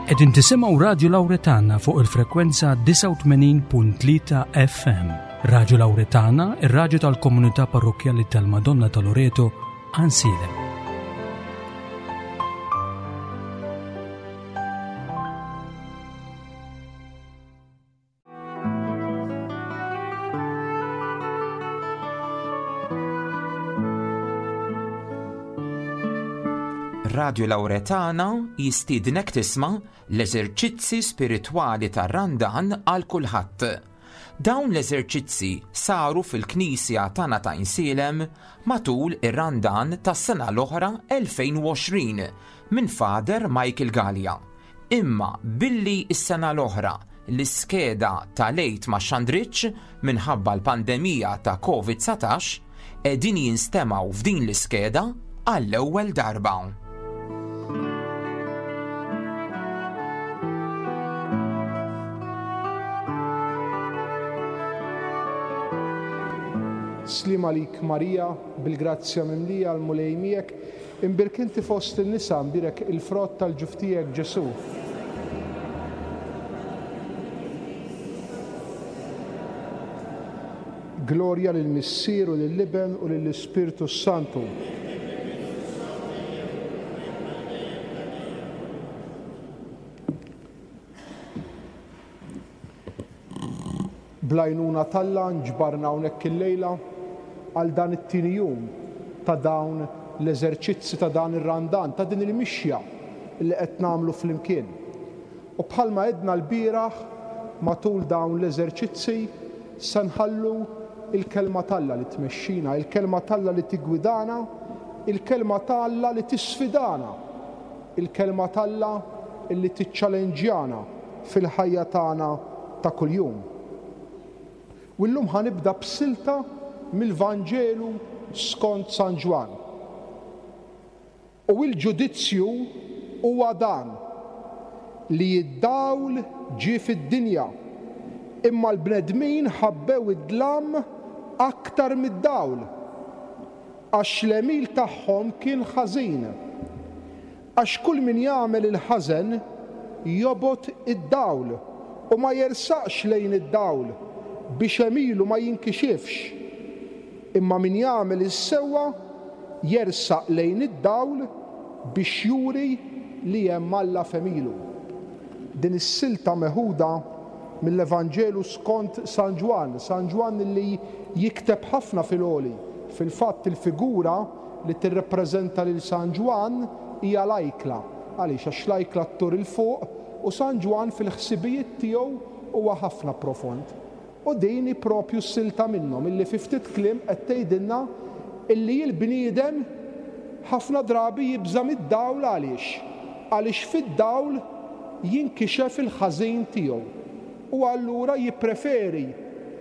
Qegħdin tisimgħu Radju Lawretana fuq il-frekwenza 89.3 FM. Radju Lawretana, ir-radju tal-komunità parrokkjali tal-Madonna ta' Loreto, Ansiedem. Radio Lauretana jistiednek tisma' l-eżerċizzi spiritwali tar-Randan għal kulħadd. Dawn l-eżerċizzi saru fil-Knisja tagħna ta' Insielem matul ir-Randan tas-sena l-oħra 2020 minn Father Michael Galea. Imma billi s-sena l-oħra l-iskeda tal-Għid ma xxandritx minħabba l-pandemija ta' Covid 19, qegħdin jinstemgħu f'din l-iskeda għall-ewwel darba. Sliem għalik Marija, bil-grazzja mimlija l-Mulej miegħek, Imbierek inti fost in-nisa, imbierek il-frott tal-ġuf tiegħek, Ġesù. Glorja lill-Missier u lill-Iben u lill-Ispirtu s-Santu. Bl-għajnuna t'Alla nġbarna hawnhekk illejla għal dan it-tieni jum ta' dawn l-eżerċizzi ta' dan ir-Randan, ta' din il-mixja li qed nagħmlu flimkien. U bħalma għedna lbieraħ matul dawn l-eżerċizzi se nħallu l-Kelma t'Alla li tmexxina, il-Kelma t'Alla li tiggwidana, il-Kelma ta' Alla li tisfidana, il-Kelma t'Alla li tiċċalenġjana fil-ħajja tagħna ta' kuljum. U llum ħa nibda b'silta mill-Vanġelu skont San Ġwann. U l-ġudizzju huwa dan, li d-dawl ġie fid-dinja, imma l-bnedmin ħabbew id-dlam aktar mid-dawl, għax l-għemil tagħhom kien ħażin. Għax kull min jagħmel il-ħażen jobgħod id-dawl u ma jersaqx lejn id-dawl, biex għemilu ma jinkixifx. Imma min jagħmel is-sewwa jersaq lejn id-dawl biex juri li hemm Alla f'għemilu. Din is-silta meħuda mill-Evanġelu skont San Ġwann, San Ġwann li jikteb ħafna fil-għoli. Fil-fatt il-figura li tirrappreżenta lil San Ġwann hija l-ajkla. Għaliex? Għax l-ajkla ttur 'il fuq u San Ġwann fil-ħsibijiet tiegħu huwa ħafna profond. U din hi propju silta minnhom illi fi ftit kliem qed tgħidilna illi l-bniedem ħafna drabi jibża' mid-dawl għaliex? Għaliex fid-dawl jinkixef il-ħażin tiegħu u allura jippreferi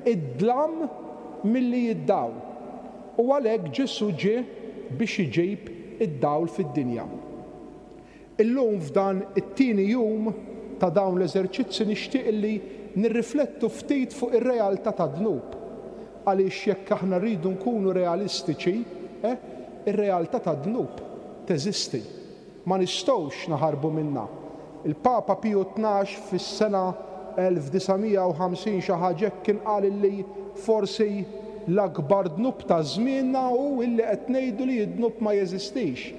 d-dlam milli d-dawl. U għalhekk Ġesù ġie biex iġib id-dawl fid-dinja. Illum f'dan it-tieni jum ta' dawn l-eżerċizzi nixtieq illi nirriflettu ftit fuq ir-realtà tad-dnub. Għaliex jekk aħna rridu nkunu realistiċi, eh, ir-realtà tad-dnub teżisti. Ma nistgħux naħarbu minnha. Il-Papa Piju 12 fis-sena 1950 xi ħaġa hekk kien qal illi forsi l-akbar dnub ta' żmienna hu illi qed ngħidu li d-dnub ma jeżistix.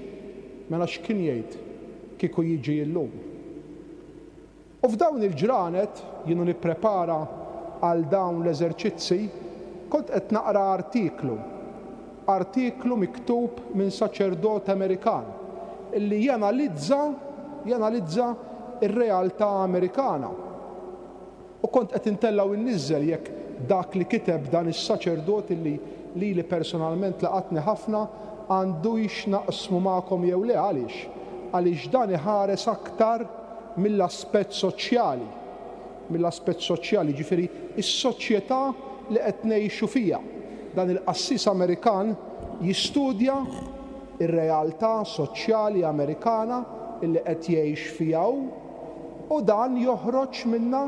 Mela x'kien jgħid kieku jiġi illum? U f'dawn il-ġranet, jien u nipprepara għal dawn l-eżerċizzi, kont qed naqra artiklu, artiklu miktub minn saċerdot Amerikan li janalizza, janalizza r-realtà Amerikana. U kont qed intella' u nniżżel jekk dak li kiteb dan is-saċerdot illi lili personalment laqatni ħafna għandux naqsmu magħkom jew le. Għaliex? Għaliex dan iħares aktar mill-aspett soċjali, mill-aspett soċjali, jiġifieri s-soċjetà li qed ngħixu fiha. Dan il-qassis Amerikan jistudja r-realtà soċjali Amerikana illi qed jgħix fiha hu, U dan joħroġ minnha,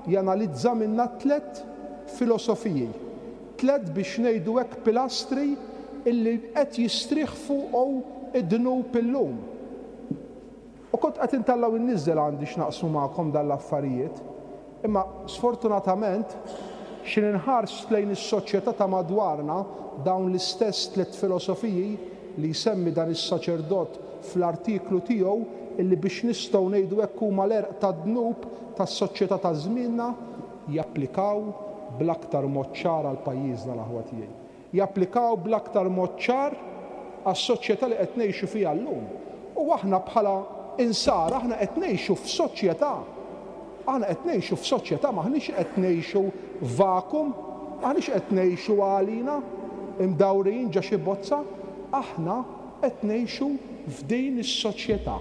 janalizza minnha tlett filosofiji, tlett biex ngħidu hekk pilastri illi qed jistrieħ fuqhom id-dnub illum. U kont qed intella' u nniżżel għandi x'naqsmu magħkom dan l-affarijiet. Imma sfortunatament x'in inħars lejn is-soċjetà ta' madwarna dawn l-istess tlett filosofiji li jsemmi dan is-saċerdot fl-artiklu tiegħu illi biex nistgħu ngħidu hekk huma l-għerq tad-dnub tas-soċjetà ta' żmienna japplikaw bl-aktar mod ċar għal pajjiżna l-aħwa tiegħi. Japplikaw bl-aktar mod ċar għas-soċjetà li qed ngħixu fiha llum. U aħna bħala Insara aħna qed ngħixu f'soċjetà. Aħna qed ngħixu f'soċjetà, m'aħniex qed ngħixu f'vakum, m'aħniex qed ngħixu għalina, imdawrin ġo xi bozza. Aħna qed ngħixu f'din is-soċjetà.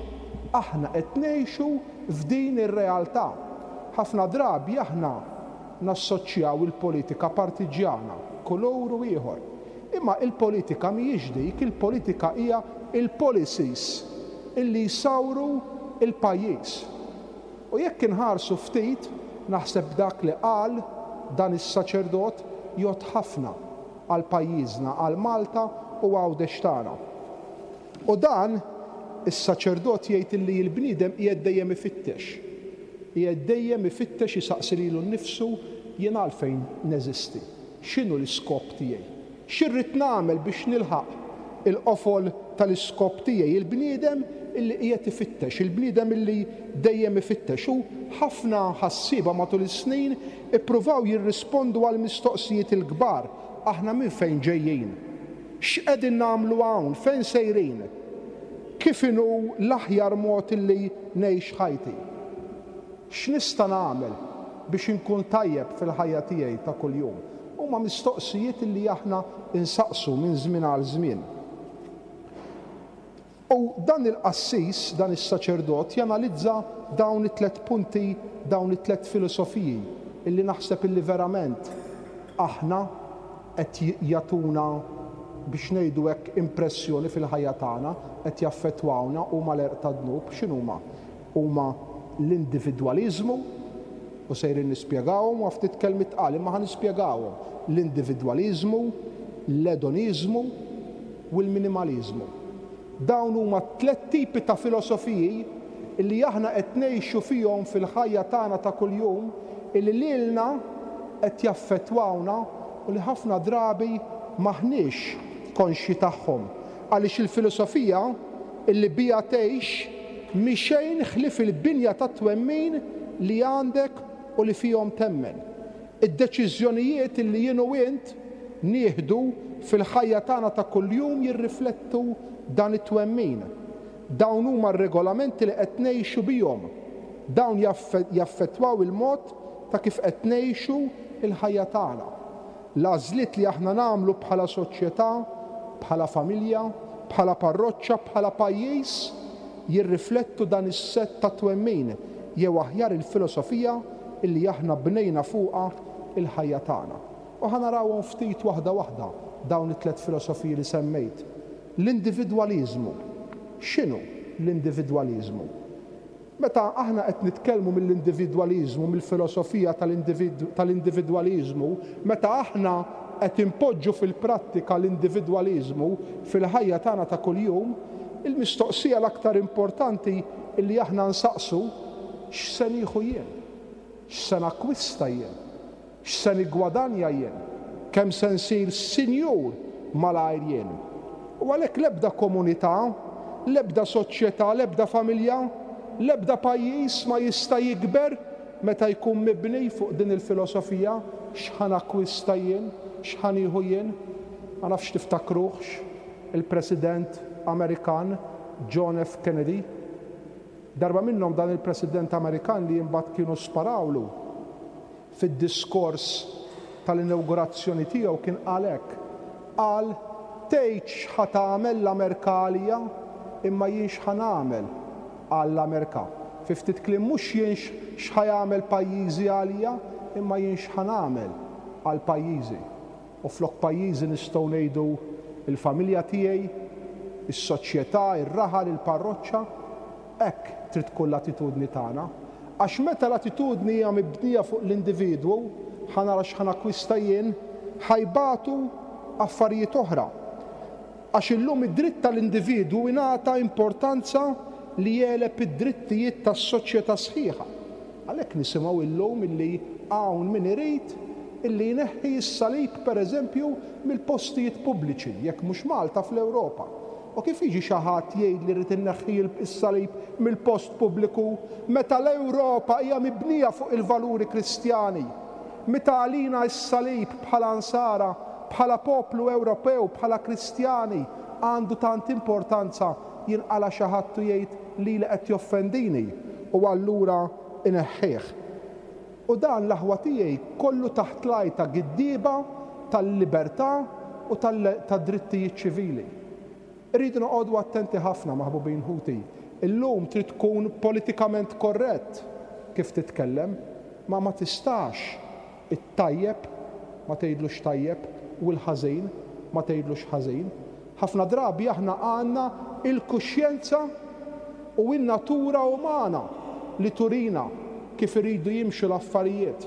Aħna qed ngħixu f'din ir-realtà. Ħafna drabi aħna nassoċjaw il-politika partiġġjana, kulur u ieħor. Imma il-politika mhijiex dik, il-politika hija l-policies illi jsawru l-pajjiż. U jekk inħarsu ftit, naħseb dak li qal dan is-saċerdot jgħodd ħafna għal pajjiżna, għal Malta u Għawdex tagħna. U dan is-saċerdot jgħid illi l-bniedem qiegħed dejjem ifittex. Qiegħed dejjem ifittex isaqsi lilu nnifsu, jien għalfejn neżisti? X'inhu l-iskop tiegħi? Xi rrid nagħmel biex nilħaq il-qofol tal-iskop tiegħi? Il-bniedem illi qiegħed ifittex, il-bniedem illi dejjem ifittex. U ħafna ħassieba matul is-snin ippruvaw jirrispondu għall-mistoqsijiet il-kbar, aħna minn fejn ġejjin? X'qegħdin nagħmlu hawn? Fejn sejrin? Kif inhu l-aħjar mod illi ngħix ħajti? X'nista' nagħmel biex inkun tajjeb fil-ħajja tiegħi ta' kuljum? Huma mistoqsijiet illi aħna nsaqsu minn żmien għal żmien. U dan il-qassis, dan is-saċerdot, janalizza dawn it-tlett punti, dawn it-tlett filosofiji illi naħseb illi verament aħna qed jagħtuna, biex ngħidu hekk, impressjoni fil-ħajja tagħna, qed jaffettwawna, huma l-għerq tad-dnub. X'inhuma? Huma l-individwaliżmu, u sejrin nispjegawhom, huwa ftit kelmiet tqal imma ħa nispjegawhom, l-individwaliżmu, l-edoniżmu u l-minimaliżmu. Dawn huma t-tlett tipi ta' filosofiji li aħna qed ngħixu fihom fil-ħajja tagħna ta' kuljum illi lilna qed jaffettwawna u li ħafna drabi m'aħniex konxji tagħhom. Għaliex il-filosofija illi biha tgħix mhi xejn ħlief il-binja tat-twemmin li għandek u li fihom temmen. Id-deċiżjonijiet illi jien u int nieħdu fil-ħajja tagħna ta' kuljum jirriflettu dan it-twemmin. Dawn huma r-regolamenti li qed ngħixu bihom. Dawn jaffettwaw il-mod ta' kif qed ngħixu l-ħajja tagħna. L-għażliet li aħna nagħmlu bħala soċjetà, bħala familja, bħala parroċċa, bħala pajjiż jirriflettu dan is-sett ta' twemmin, jew aħjar il-filosofija illi aħna bnejna fuqha l-ħajja tagħna. U ħa narawhom ftit waħda waħda dawn it-tlett filosofiji li semmejt. L-individwaliżmu. X'inhu l-individwaliżmu? Meta aħna qed nitkellmu mill-individwaliżmu, mill-filosofija tal-individwaliżmu, meta aħna qed inpoġġu fil-prattika l-individwaliżmu fil-ħajja tagħna ta' kuljum, il-mistoqsija l-aktar importanti li aħna nsaqsu, x'se nieħu jien? X'se nakkwista jien? X'se niggwadanja jien? Kemm se nsir sinjur malajr jien? U għalhekk l-ebda komunità, l-ebda soċjetà, l-ebda familja, l-ebda pajjiż ma jista' jikber meta jkun mibni fuq din il-filosofija, x'ħa nakkwista jien, x'ħa nieħu jien? Ma nafx tiftakruhx il-President Amerikan John F. Kennedy. Darba minnhom dan il-President Amerikan li imbagħad kienu sparawlu, Fid-diskors tal-inawgurazzjoni tiegħu kien qal hekk, qal, Tgħidx x'ħa tagħmel l-Amerka għalija, imma jien x'ħa nagħmel għall-Amerka. Fi ftit kliem mhux jien x'ħa jagħmel pajjiżi għalija, imma jien x'ħa nagħmel għal pajjiżi. U flok pajjiżi nistgħu ngħidu l-familja tiegħi, is-soċjetà, ir-raħal, il-parroċċa. Hekk trid tkun l-attitudni tagħna. Għax meta l-attitudni hija mibnija fuq l-individwu, ħa nara x'ħa nakkwista jien, ħa jbatu affarijiet oħra. Għax illum id-dritt tal-individwu ingħata importanza li jegħleb id-drittijiet tas-soċjetà sħiħa. Għalhekk nisimgħu illum illi hawn min irid illi jneħħi s-salib pereżempju mill-postijiet pubbliċi, jekk mhux Malta fl-Ewropa. U kif jiġi xi ħadd jgħidli rrid inneħħi s-salib mill-post pubbliku meta l-Ewropa hija mibnija fuq il-valuri Kristjani? Meta għalina s-salib bħala Nsara, bħala poplu Ewropew, bħala Kristjani għandu tant importanza, jinqala' xi ħadd u jgħid lili qed joffendini u allura ineħħih. U dan, l-aħwa tiegħi, kollu taħt l-għajta giddieba tal-libertà u tad-drittijiet ċivili. Irridu noqogħdu attenti ħafna, maħbubin ħuti. Illum trid tkun politikament korrett kif titkellem, ma ma tistax it-tajjeb ma tgħidlux tajjeb u l-ħażin ma tgħidlux ħażin. Ħafna drabi aħna għandna l-kuxjenza u n-natura umana li turina kif iridu jimxu l-affarijiet.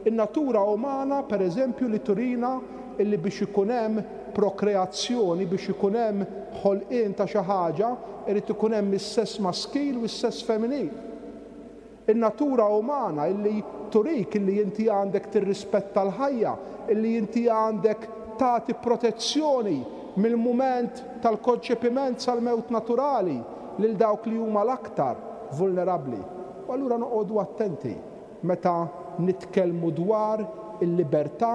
In-natura umana, per eżempju, li turina illi biex ikun hemm prokreazzjoni, biex ikun hemm ħolqien ta' xi ħaġa, irid ikun hemm is-sess maskil u s-sess femminil. In-natura umana illi turik illi inti għandek tirrispetta l-ħajja, illi inti għandek tagħti protezzjoni mill-mument tal-konċepiment sal-mewt naturali lil dawk li huma l-aktar vulnerabbli. U allura noqogħdu attenti meta nitkellmu dwar il-libertà,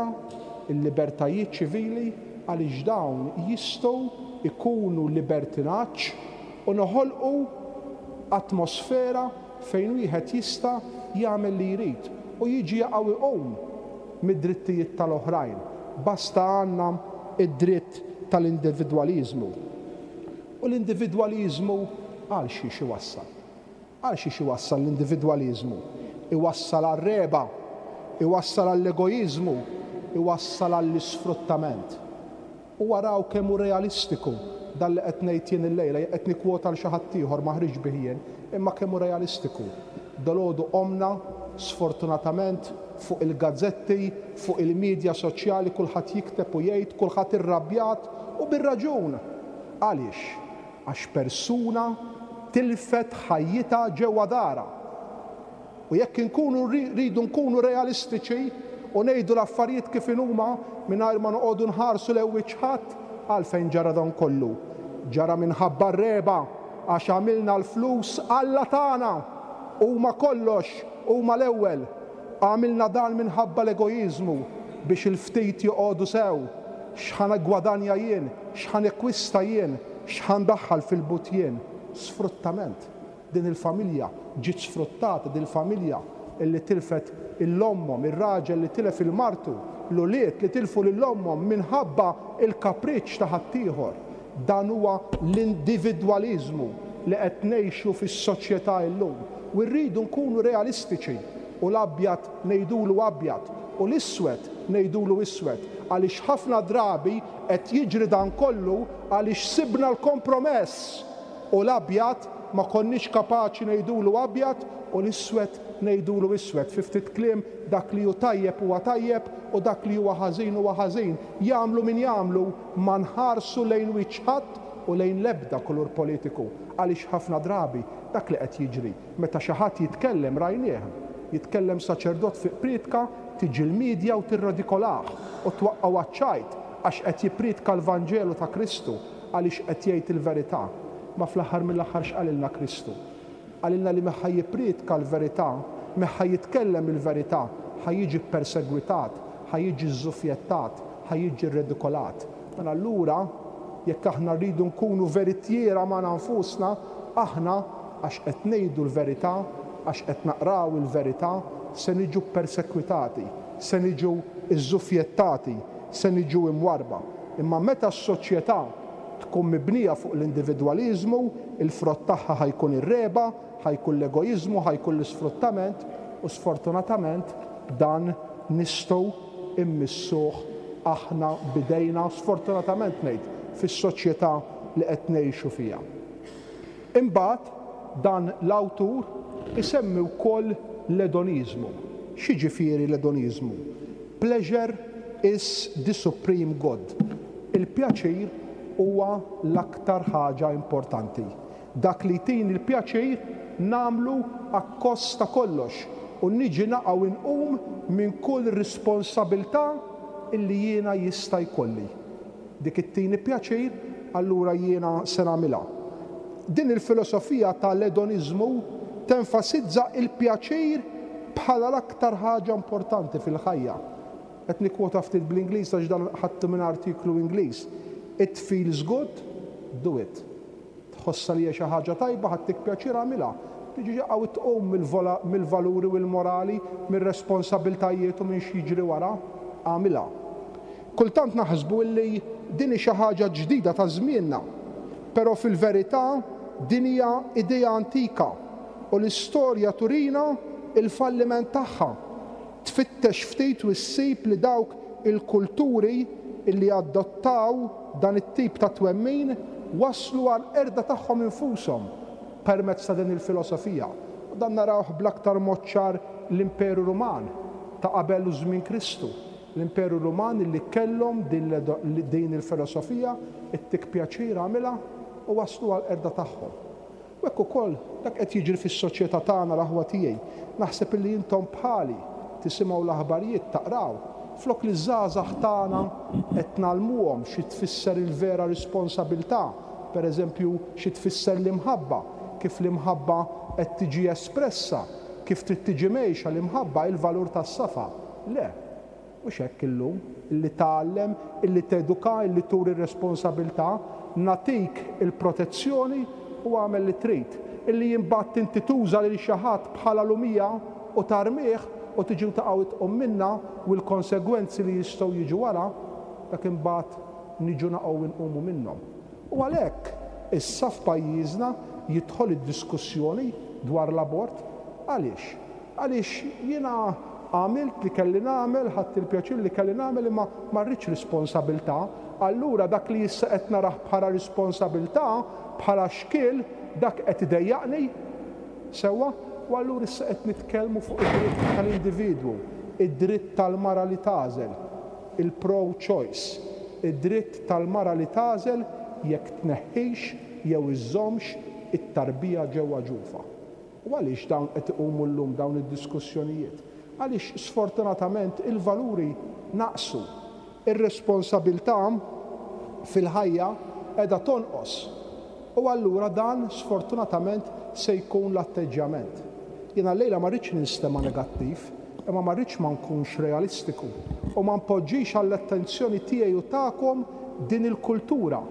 il-libertajiet ċivili għaliex dawn jistgħu jkunu libertinaġġ u noħolqu atmosfera fejn wieħed jista' jagħmel li jrid u jiġi jaqa' u jqum mid-drittijiet tal-oħrajn, basta għandna d-dritt tal-individwaliżmu. U l-individwaliżmu għal xiex iwassal? Għal xiex iwassal l-individwaliżmu? Iwassal għar-regħba, iwassal għall-egoiżmu, iwassal għall-isfruttament. U araw kemm hu realistiku dan li qed ngħid jien illejla, jien qed nikkwota 'l xi ħadd ieħor, ma ħriġtx bih jien, imma kemm hu realistiku. Dalgħodu qomna, sfortunatament, fuq il-gazzetti, fuq il-media soċjali kulħadd jikteb u jgħid, kulħadd irrabjat u bir-raġun. Għaliex? Għax persuna tilfet ħajjitha ġewwa darha. U jekk inkunu rridu nkunu realistiċi u ngħidu l-affarijiet kif inhuma mingħajr ma noqogħdu nħarsu lejn wiċċ ħadd, għalfejn ġara dan kollu? Ġara minħabba r-regħba għax għamilna l-flus alla tagħna! Huma kollox, huma l-ewwel. Għamilna dan minħabba l-egoiżmu biex il-ftit joqogħdu sew. X'ħa niggwadanja jien, x'ħa nikkwista jien, x'ħa ndaħħal fil-but jien. Sfruttament. Din il-familja ġiet sfruttata, din il-familja li tilfet 'il ommhom, ir-raġel li tilef 'il martu, l-ulied li tilfu lil ommhom minħabba l-kapriċċ ta' ħaddieħor. Dan huwa l-individwaliżmu li qed ngħixu fis-soċjetà illum. U rridu nkunu realistiċi u l-abjad ngħidulu abjad u l-iswed ngħidulu iswed għaliex ħafna drabi qed jiġri dan kollu għaliex sibna l-kompromess. U l-abjad ma konniex kapaċi ngħidulu abjad u l-iswed ngħidulu iswed. Fi ftit kliem, dak li hu tajjeb huwa tajjeb u dak li huwa ħażin huwa ħażin. Jagħmlu min jagħmlu, ma nħarsu lejn wiċċ ħadd u lejn l-ebda kulur politiku. Għaliex ħafna drabi dak li qed jiġri, meta xi ħadd jitkellem rajnieh. Jitkellem saċerdot fi prietka, tiġi l-media u tirradikolah u twaqqgħu għaċ-ċajt għax qed jipprietka l-Vanġelu ta' Kristu. Għaliex qed jgħid il-verità. Ma fl-aħħar mill-aħħar x'qalilna Kristu? Qalilna li meta ħa jipprietka l-verità, meta ħa jitkellem il-verità, ħa jiġi ppersegwitat, ħa jiġi żżufjettat, ħa jiġi rredikolat. Mela allura, jekk aħna rridu nkunu veritjiera magħna nfusna, aħna, għax qed ngħidu l-verità, għax qed naqraw il-verità, se niġu ppersekwitati, se niġu żżufjettati, se niġu imwarrba. Imma meta s-soċjetà tkun mibnija fuq l-individwaliżmu, il-frott tagħha ħa jkun ir-regħba, ħa jkun l-egoiżmu, ħa jkun l-isfruttament u sfortunatament dan nistgħu mmissuh aħna b'idejna, sfortunatament ngħid, fis-soċjetà li qed ngħixu fiha. Imbagħad dan l-awtur isemmi wkoll l-edoniżmu. X'jiġifieri l-edoniżmu? Pleasure is the supreme good. Il-pjaċir huwa l-aktar ħaġa importanti. Dak li jtini l-pjaċir nagħmlu akkost ta' kollox u niġi naqa' u nqum minn kull risponsabiltà illi jiena jista' jkolli. Dik ittini pjaċir, allura jiena se nagħmilha. Din il-filosofija ta' l-edoniżmu tenfasizza il-pjaċir bħala l-aktar ħaġa importanti fil-ħajja. Qed nikkwota ftit bl-Ingliż għax dan ħadtu minn artiklu Ingliż. It feels good, do it. Tħossha li hija xi ħaġa tajba, ħa ttik pjaċir agħmilha. Tiġi hawn tqum mill-valuri u l-morali, mir-responsabbiltajiet u minn x'jiġri wara, agħmilha. Kultant naħsbu illi din hi xi ħaġa ġdida ta' żmienna, però fil-verità din hija idea antika u l-istorja turina l-falliment tagħha. Tfittex ftit u ssib li dawk il-kulturi li adottaw dan it-tip ta' twemmin waslu għall-qerda tagħhom infushom permezz ta' din il-filosofija. U dan narawh bl-aktar mod ċar l-Imperu Ruman ta' qabel u żmien Kristu. L-Imperu Ruman li kellhom din il-filosofija, ittik pjaċir agħmilha, u waslu għall-qerda tagħhom. U hekk ukoll dak qed jiġri fis-soċjetà tagħna l-aħwa tiegħi. Naħseb illi intom bħali tisimgħu l-aħbarijiet, taqraw. Flok li ż-żgħażagħ tagħna qed ngħallmuhom xi tfisser il-vera responsabilità, per eżempju xi tfisser l-imħabba, kif l-imħabba qed tiġi espressa, kif trid tiġi mgħejxa l-imħabba, il-valur tas-safa. Le. Mhux hekk illum, illi tgħallem, illi teduka, illi turi r-responsabilità, nagħtik il-protezzjoni u agħmel li trid. Illi imbagħad inti tuża lil xi ħadd bħala lumija u tarmih u tiġi u taqa' u tqum minnha u l-konsegwenzi li jistgħu jiġu wara, dak imbagħad niġu naqgħu u nqumu minnhom. U għalhekk issa f'pajjiżna jidħol id-diskussjoni dwar l-abort. Għaliex? Għaliex jiena għamilt li kelli nagħmel, ħadt il-pjaċir li kelli nagħmel imma ma rridx responsabilità. Allura dak li issa qed narah bħala responsabilità, bħala xkiel, dak qed idejjaqni. Sewwa? U allura issa qed nitkellmu fuq id-dritt tal-individwu, id-dritt tal-mara li tagħżel, il-pro-choice, id-dritt tal-mara li tagħżel jekk tneħħix jew iżżommx it-tarbija ġewwa ġufha. U għaliex dawn qed iqumu llum dawn id-diskussjonijiet? Għaliex sfortunatament il-valuri naqsu. Ir-responsabilità fil-ħajja qiegħda tonqos. U allura dan sfortunatament se jkun l-atteġġjament. Jiena llejla ma rridx ninstema' negattiv, imma ma rridx ma nkunx realistiku u ma npoġġix għall-attenzjoni tiegħi u tagħkom din il-kultura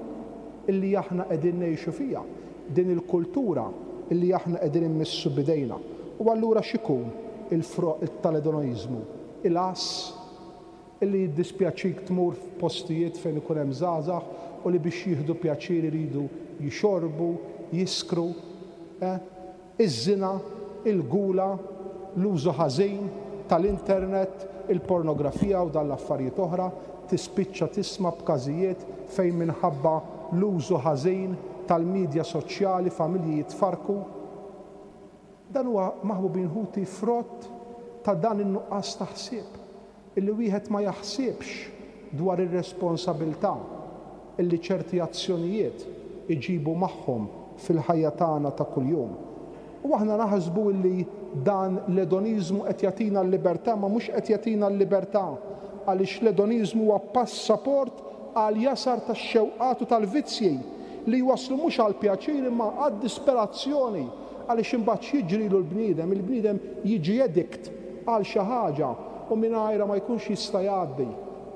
illi aħna qegħdin ngħixu fiha. din il-kultura li aħna qegħdin immissu b'idejna. U allura x'ikun il-frott tal-edonoiżmu? Il-għażż? Illi jiddispjaċik tmur f'postijiet fejn ikun hemm żgħażagħ u li biex jieħdu pjaċir iridu jixorbu, jiskru, eh? Iż-żina, il-gula, l-użu ħażin tal-internet, il-pornografija u dan l-affarijiet oħra, tispiċċa tisma' b'każijiet fejn minħabba l-użu ħażin tal-midja soċjali familji jitfarrku. Dan huwa, maħbubin ħuti, frott ta' dan in-nuqqas ta' ħsieb. Illi wieħed ma jaħsibx dwar ir-responsabilità illi ċerti azzjonijiet iġibu magħhom fil-ħajja tagħna ta' kuljum. U aħna naħsbu illi dan l-edoniżmu qed jagħtina l-libertà imma mhux qed jagħtina l-libertà għaliex l-edoniżmu huwa passaport għall-jasar tax-xewqat u tal-vizzji li jwasslu mhux għall-pjaċir imma għad-disperazzjoni għaliex imbagħad x'jiġrilu l-bniedem? Il-bniedem jiġi addict għal xi ħaġa u mingħajrha ma jkunx jista' jgħaddi,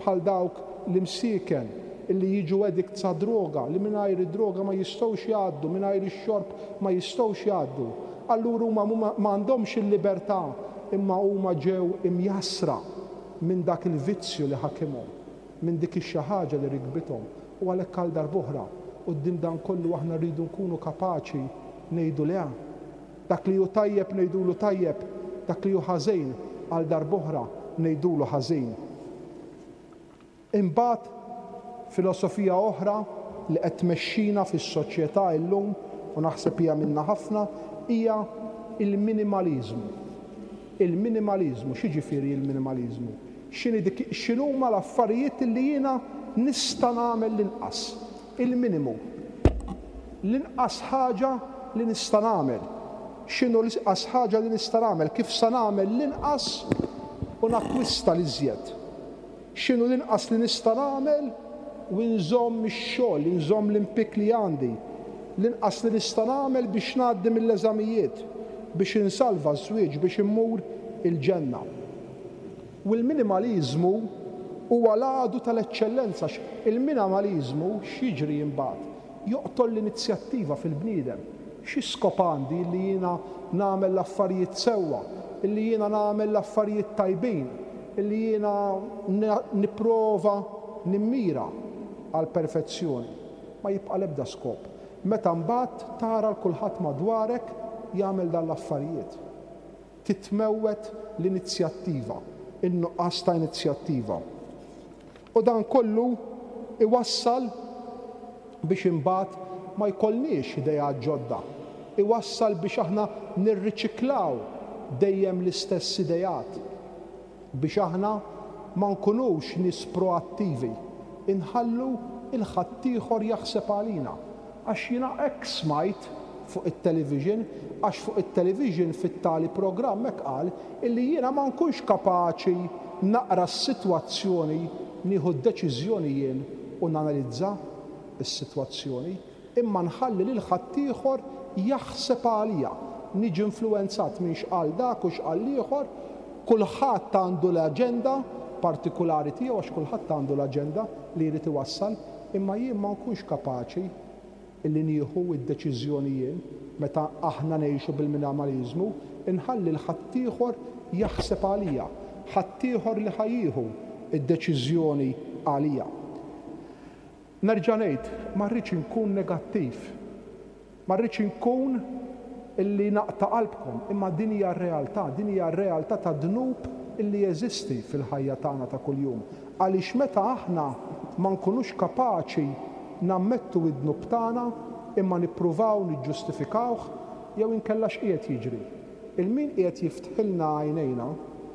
bħal dawk l-imsieken illi jiġu addicts għad-droga, li mingħajr id-droga ma jistgħux jgħaddu, mingħajr ix-xorb ma jistgħux jgħaddu. Allura huma ma għandhomx il-libertà imma huma ġew imjassra minn dak il-vizzju li ħakimhom, minn dik ix-xi ħaġa li rikbithom. U għalhekk għal darb'oħra, quddiem dan kollu aħna rridu nkunu kapaċi ngħidu le. Dak li hu tajjeb ngħidulu tajjeb, dak li hu ħażin għal darb'oħra ngħidulu ħażin. Imbagħad filosofija oħra li qed tmexxina fis-soċjetà illum u naħseb hija minnha ħafna hija l-minimaliżmu. Il-minimaliżmu, x'jiġifieri l-minimaliżmu? X'inhi dik x'inhuma l-affarijiet li jiena nista' nagħmel l-inqas? Il-minimu. L-inqas ħaġa li nista' nagħmel. X'inhu l-inqas ħaġa li nista' nagħmel? Kif sa nagħmel l-inqas u nakkwista l-iżjed? X'inhu l-inqas li nista' nagħmel u nżomm ix-xogħol, inżomm l-impjieg li għandi? L-inqas li nista' nagħmel biex ngħaddi mill-eżamijiet, biex insalva ż-żwieġ, biex immur il-ġenna. U l-minimaliżmu huwa l-għadu tal-eċċellenza għax il-minamaliżmu x'jiġri imbagħad? Joqtol l-inizjattiva fil-bniedem. Xi skop għandi illi jiena nagħmel l-affarijiet sewwa, illi jiena nagħmel l-affarijiet tajbin, illi jiena nipprova nimmira għall-perfezzjoni? Ma jibqa' l-ebda skop. Meta mbagħad tara 'l kulħadd madwarek jagħmel dan l-affarijiet. Titmewwet l-inizjattiva, in-nuqqas ta' inizjattiva. U dan kollu iwassal biex imbagħad ma jkollniex ideat ġodda. Iwassal biex aħna nirriċiklaw dejjem l-istess ideat. Biex aħna ma nkunux nies proattivi, inħallu 'l ħaddieħor jaħseb għalina. Għax jiena hekk smajt fuq it-television, għax fuq it-television fit-tali programm hekk qal illi jiena ma nkunx kapaċi naqra s-sitwazzjoni, nieħu d-deċiżjoni jien u nanalizza s-sitwazzjoni, imma nħalli lil ħaddieħor jaħseb għalija. Niġi influwenzat minn x'qal dak u x'qal l-ieħor, kulħadd għandu l-aġenda partikulari tiegħu għax kulħadd għandu l-aġenda li jrid iwassal, Imma jien ma nkunx kapaċi illi nieħu d-deċiżjoni jien, meta aħna ngħixu bil-minamaliżmu, inħalli 'l ħaddieħor jaħseb għalija, ħaddieħor li ħa jieħu d-deċiżjoni għalija. Nerġa' ngħid, ma rridx inkun negattiv. Ma rridx inkun illi naqta' qalbkom, imma din hija r-realtà, din hija r-realtà tad-dnub illi jeżisti fil-ħajja tagħna ta' kuljum. Għaliex meta aħna ma nkunux kapaċi nammettu d-dnub tagħna imma nippruvaw niġġustifikawh, jew inkella x'qiegħed jiġri? Il-min qiegħed jiftħilna għajnejna,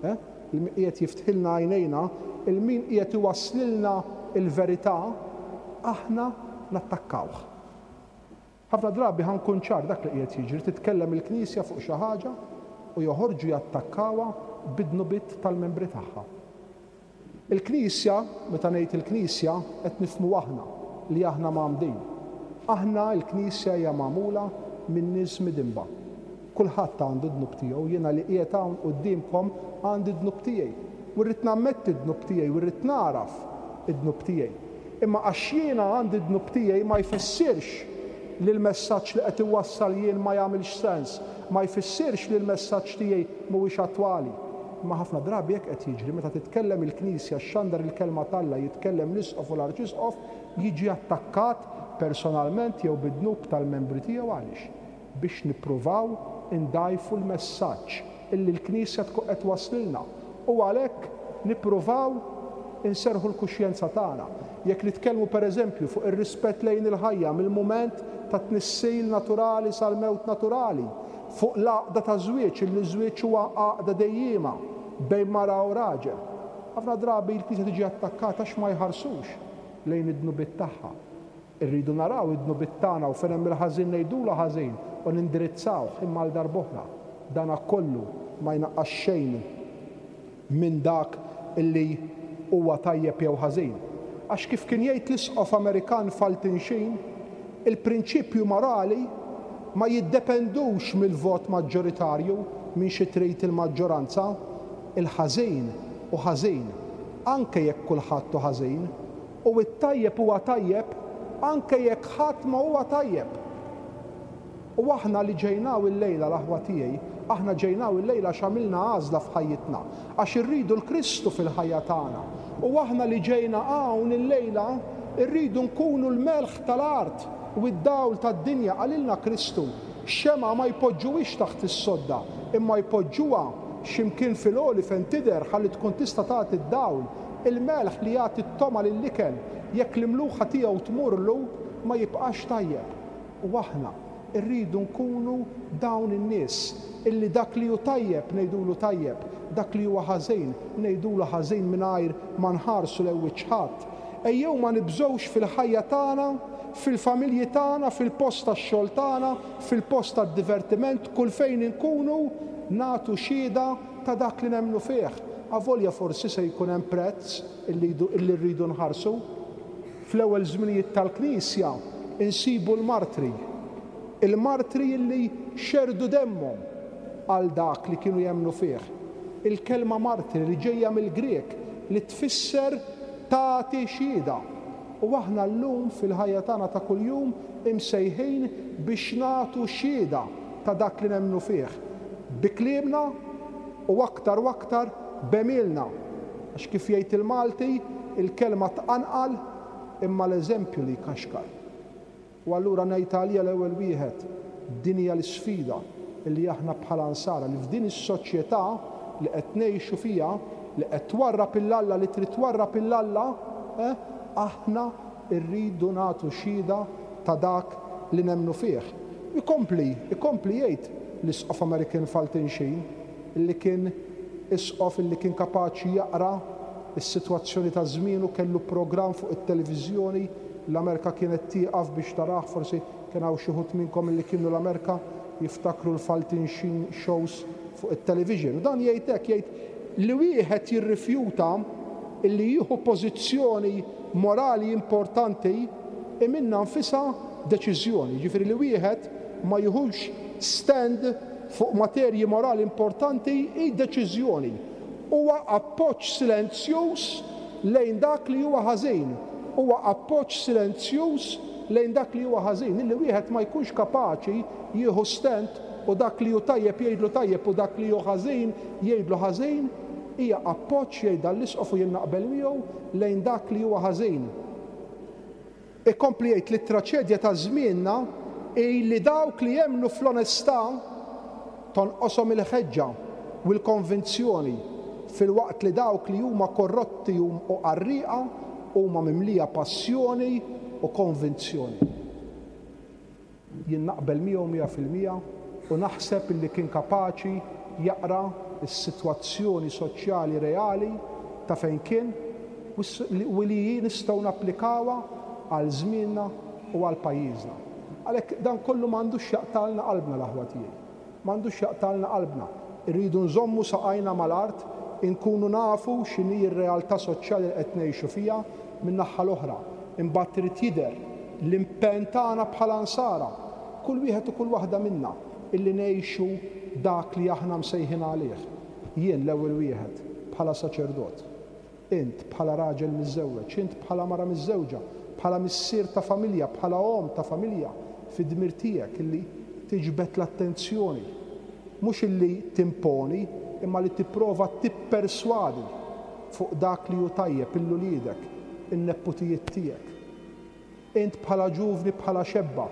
eh? Il-min qiegħed jiftħilna għajnejna, il-min qiegħed iwasslilna l-verità, aħna nattakkawh. Ħafna drabi ħa nkun ċar dak li qiegħed jiġri, titkellem il-Knisja fuq xi ħaġa u joħorġu jattakkawha bid-dnubiet tal-membri tagħha. Il-Knisja, meta ngħid il-Knisja, qed nifhmu aħna, li aħna mgħammdin. Aħna, il-Knisja hija magħmula minn nies midinba. Kulħadd għandu d-dnub tiegħu, jiena li qiegħed hawn quddiemkom għandi d-dnub tiegħi. U rrid nammetti d-dnub tiegħi u rrid nagħraf id-dnub tiegħi. Imma għax jiena għandi d-dnub tiegħi ma jfissirx li l-messaġġ li qed iwassal jien ma jagħmilx sens, ma jfissirx li l-messaġġ tiegħi mhuwiex attwali. Imma ħafna drabi hekk qed jiġri, meta titkellem il-Knisja, xxandar il-Kelma t'Alla, jitkellem l-Isqof u l-Arċisqof, jiġi attakkat personalment jew bid-dnub tal-membri tiegħu għaliex? biex nippruvaw indgħajfu l-messaġġ illi l-Knisja tkun qed twasslilna u għalhekk nippruvaw inserrħu l-kuxjenza tagħna. Jekk nitkellmu per eżempju fuq ir-rispett lejn il-ħajja mill-mument tat-tnissil naturali sal-mewt naturali, fuq l-għaqda taż-żwieġ illi ż-żwieġ huwa għaqda dejjiema bejn mara u raġel. Ħafna drabi l-Knisja tiġi attakkata għax ma jħarsux lejn id-dnubiet tagħha. Irridu naraw id-dnubiet tagħna u fejn hemm il-ħażin ngħidulu ħażin u nindirizzawh imma għal darb'oħra dana kollu ma jnaqqas xejn minn dak li huwa tajjeb jew ħażin. Għax kif kien jgħid l-Isqof Amerikan Fulton Sheen, il-prinċipju morali ma jiddependux mill-vot maġġoritarju, minn xi trid il-maġġoranza. Il-ħażin hu ħażin, anke jekk kulħadd hu ħażin. U t-tajjeb huwa tajjeb anke jekk ħadd ma huwa tajjeb. U aħna li ġejna hawn illejla, l-aħwa tiegħi, aħna ġejna hawn illejla għax għamilna għażla f'ħajjitna, għax irridu 'l Kristu fil-ħajja tagħna. U aħna li ġejna hawn illejla rridu nkunu l-melħ tal-art u d-dawl tad-dinja, qalilna Kristu. Xemgħa ma jpoġġuhiex taħt is-sodda, imma jpoġġuha xi mkien fil-għoli fejn tidher ħalli tkun tista' tagħti d-dawl. Il-melħ li jagħti t-togħma lill-ikel, jekk l-imluħa tiegħu tmurlu, ma jibqax tajjeb. U aħna rridu nkunu dawn in-nies illi dak li hu tajjeb ngħidulu tajjeb, dak li huwa ħażin ngħidulu ħażin mingħajr ma nħarsu lejn wiċċ ħadd. Ejjew ma nibżgħux fil-ħajja tagħna. fil-familji tagħna, fil-post tax-xogħol tagħna, fil-post tad-divertiment, kull fejn inkunu, nagħtu xhieda ta' dak li nemmnu fih. Avolja forsi se jkun hemm prezz illi rridu nħarsu. Fl-ewwel żminijiet tal-Knisja insibu l-martri, il-martri illi xerrdu demmhom għal dak li kienu jemmnu fih. Il-kelma martri li ġejja mill-Grieg li tfisser tagħti xhieda. U aħna llum fil-ħajja tagħna ta' kuljum imsejħin biex nagħtu xhieda ta' dak li nemmnu fih, bi kliemna u aktar u aktar b'għemilna. Għax kif jgħid il-Malti, il-kelma tqanqal imma l-eżempju li jkaxkar. U allura ngħid għalija l-ewwel wieħed, din hija l-isfida li aħna bħala Nsara li f'din is-soċjetà li qed ngħixu fiha, li qed twarrab 'il Alla, li trid twarrab 'il Alla, eh, aħna rridu nagħtu xhieda ta' dak li nemmnu fih. Ikompli, ikompli jgħid l-Isqof American Fulton Sheen, li kien isqof li kien kapaċi jaqra s-sitwazzjoni ta' żmienu, kellu programm fuq it-televiżjoni, l-Amerka kienet tieqaf biex tarah, forsi kien hawn xi wħud minnkom li kienu l-Amerka jiftakru l-Fulton Sheen shows fuq it-television. U dan jgħid hekk, jgħid li wieħed jirrifjuta li jieħu pożizzjoni morali importanti hi minnha nfisha deċiżjoni, jiġifieri li wieħed ma jiħux stand fuq materji morali importanti hi deċiżjoni. Huwa appoġġ silenzjuż lejn dak li huwa ħażin. Huwa appoġġ silenzjuż lejn dak li huwa ħażin. Illi wieħed ma jkunx kapaċi jieħu stand u dak li hu tajjeb jgħidlu tajjeb u dak li hu ħażin jgħidlu ħażin, hija appoġġ, jgħid dan l-Isqof u jien naqbel miegħu, lejn dak li huwa ħażin. Ikompli jgħid li t-traċedja ta' żmienna hi li dawk li jemmnu fl-onestà tonqoshom il-ħeġġa u l-konvinzjoni filwaqt li dawk li huma korrotti u qarrieqa huma mimlija passjoni u konvinzjoni. Jien naqbel miegħu 100% u naħseb illi kien kapaċi jaqra s-sitwazzjoni soċjali reali ta' fejn kien u li hi nistgħu napplikawha għal żmienna u għal pajjiżna. Għalhekk dan kollu m'għandux jaqtgħalna qalbna l-aħwa tiegħi. M'għandux jaqtgħalna qalbna. Irridu nżommu saqajna mal-art, inkunu nafu x'inhi r-realtà soċjali li qed ngħixu fiha min-naħha l-oħra. Imbagħad irid jidher l-impenn tagħna bħala Nsara, kull wieħed u kull waħda minna, illi ngħixu dak li aħna msejħin għalih. Jien l-ewwel wieħed, bħala saċerdot. Int, bħala raġel miżżewweġ, int bħala mara miżżewġa, bħala missier ta' familja, bħala omm ta' familja, fid-dmir tiegħek illi tiġbed l-attenzjoni, mhux illi timponi, imma li tipprova tipperswadi fuq dak li hu tajjeb 'il uliedek, in-nepputijiet tiegħek. Int bħala ġuvni, bħala xebba,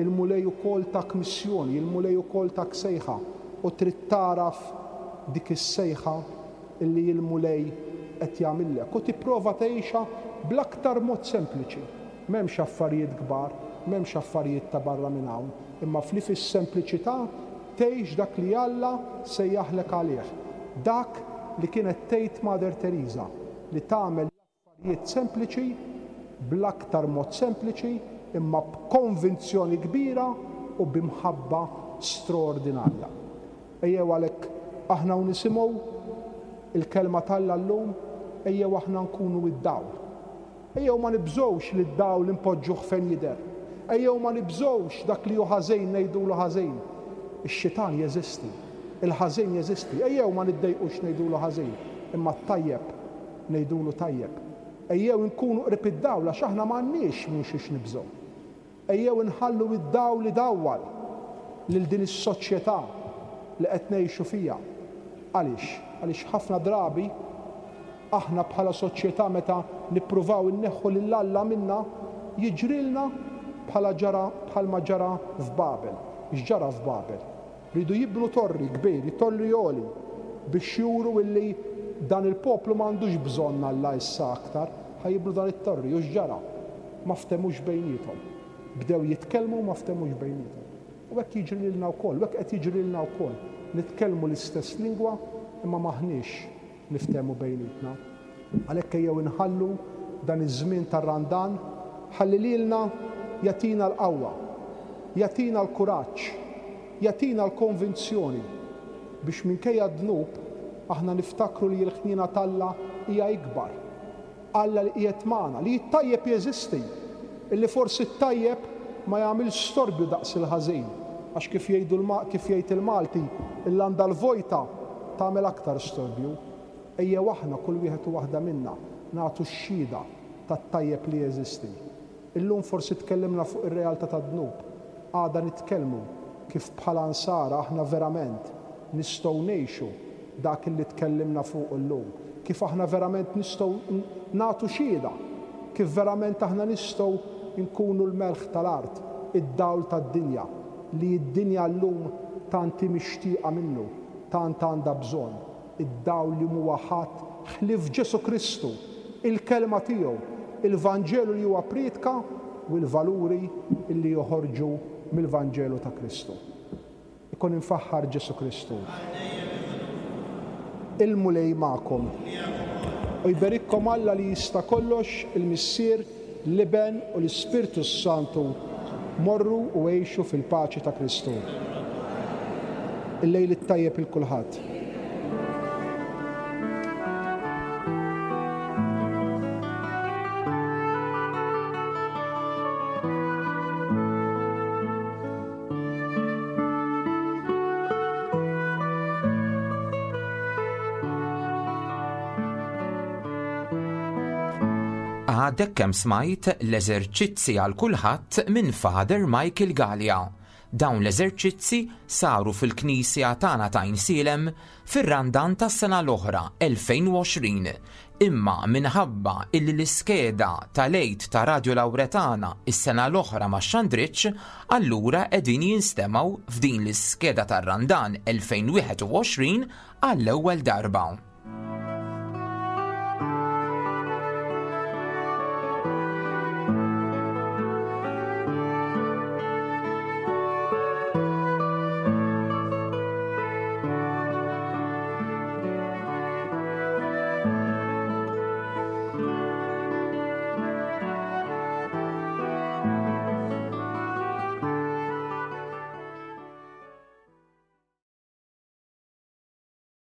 il-Mulej ukoll tak missjoni, il-Mulej ukoll tak sejħa u trid tagħraf dik is-sejħa li l-Mulej qed jagħmillek u tipprova tgħixha bl-aktar mod sempliċi. M'hemmx affarijiet kbar, m'hemmx affarijiet ta' barra minn hawn, imma fli fis-sempliċità tgħix dak li Alla sejjaħlek għalih. Dak li kienet tgħid Mother Teresa, li tagħmel l-affarijiet sempliċi bl-aktar mod sempliċi imma b'konvinzjoni kbira u b'imħabba straordinarja. Ejjew għalhekk aħna u nisimgħu l-Kelma t'Alla llum, ejjew aħna nkunu d-dawl. Ejjew ma nibżgħux li d-dawl inpoġġuh fejn jidher. Ejjew ma nibżgħux dak li hu ħażin ngħidulu ħażin. Ix-xitan jeżisti. Il-ħażin jeżisti. Ejjew ma niddejqux ngħidulu ħażin, imma t-tajjeb ngħidulu tajjeb. Ejjew inkunu qrib id-dawl għax aħna m'għandniex minn xiex nibżgħu. Ejjew inħallu id-dawl idawwal lil din is-soċjetà li qed ngħixu fiha. Għaliex? Għaliex ħafna drabi aħna bħala soċjetà meta nippruvaw inneħħu lil Alla minna jiġrilna bħala ġara bħalma ġara f'Babel. X'ġara f'Babel? Riedu jibnu torri kbir, torri għoli, biex juru illi dan il-poplu ma għandux bżonn Alla issa aktar, ħa jibnu dan it-torri. U x'ġara? Ma ftehmux bejniethom. Bdew jitkellmu u ma ftehmux bejniethom. U hekk jiġri lilna wkoll, u hekk qed jiġri lilna wkoll. Nitkellmu l-istess lingwa imma m'aħniex niftehmu bejnietna. Għalhekk ejjew inħallu dan iż-żmien tar-Randan ħalli lilna. jagħtina l-qawwa, jagħtina l-kuraġġ, jagħtina l-konvinzjoni biex minkejja d-dnub aħna niftakru li l-ħniena t'Alla hija ikbar. Alla li qiegħed magħna, li t-tajjeb jeżisti, illi forsi t-tajjeb ma jagħmilx storbju daqs il-ħażin, għax kif jgħidu kif jgħid il-Malti, il-landa l-vojta tagħmel aktar storbju. Ejjew aħna kull wieħed u waħda minna nagħtu x-xhieda tat-tajjeb li jeżisti. Illum forsi tkellimna fuq ir-realtà tad-dnub, għada nitkellmu kif bħala Nsara aħna verament nistgħu ngħixu dak illi tkellimna fuqu llum, kif aħna verament nistgħu nagħtu xhieda, kif verament aħna nistgħu nkunu l-melħ tal-art, id-dawl tad-dinja, li d-dinja llum tant hi mixtieqa minnu, tant għandha bżonn. Id-dawl li m'huwa ħadd ħlief Ġesù Kristu, il-Kelma tiegħu, il-Vanġelu li huwa ppriedka u l-valuri li joħorġu mill-Vanġelu ta' Kristu. Ikun imfaħħar Ġesù Kristu. Il-Mulej magħkom. U jberikkom Alla li jista' kollox, il-Missier, l-Iben u l-Ispirtu s-Santu. Morru u għixu fil-paċi ta' Kristu. Il-lejl it-tajjeb 'il kulħadd. Għadek kemm smajt l-eżerċizzi għal kulħadd minn Father Michael Galea. Dawn l-eżerċizzi saru fil-Knisja tagħna ta' Għajnsielem fir-Randan tas-sena l-oħra 2020, imma minħabba illi l-iskeda tal-Għid ta' Radio Lauretana s-sena l-oħra ma xxandritx, allura qegħdin jinstemgħu f'din l-iskeda tar-Randan 2021 għall-ewwel darba.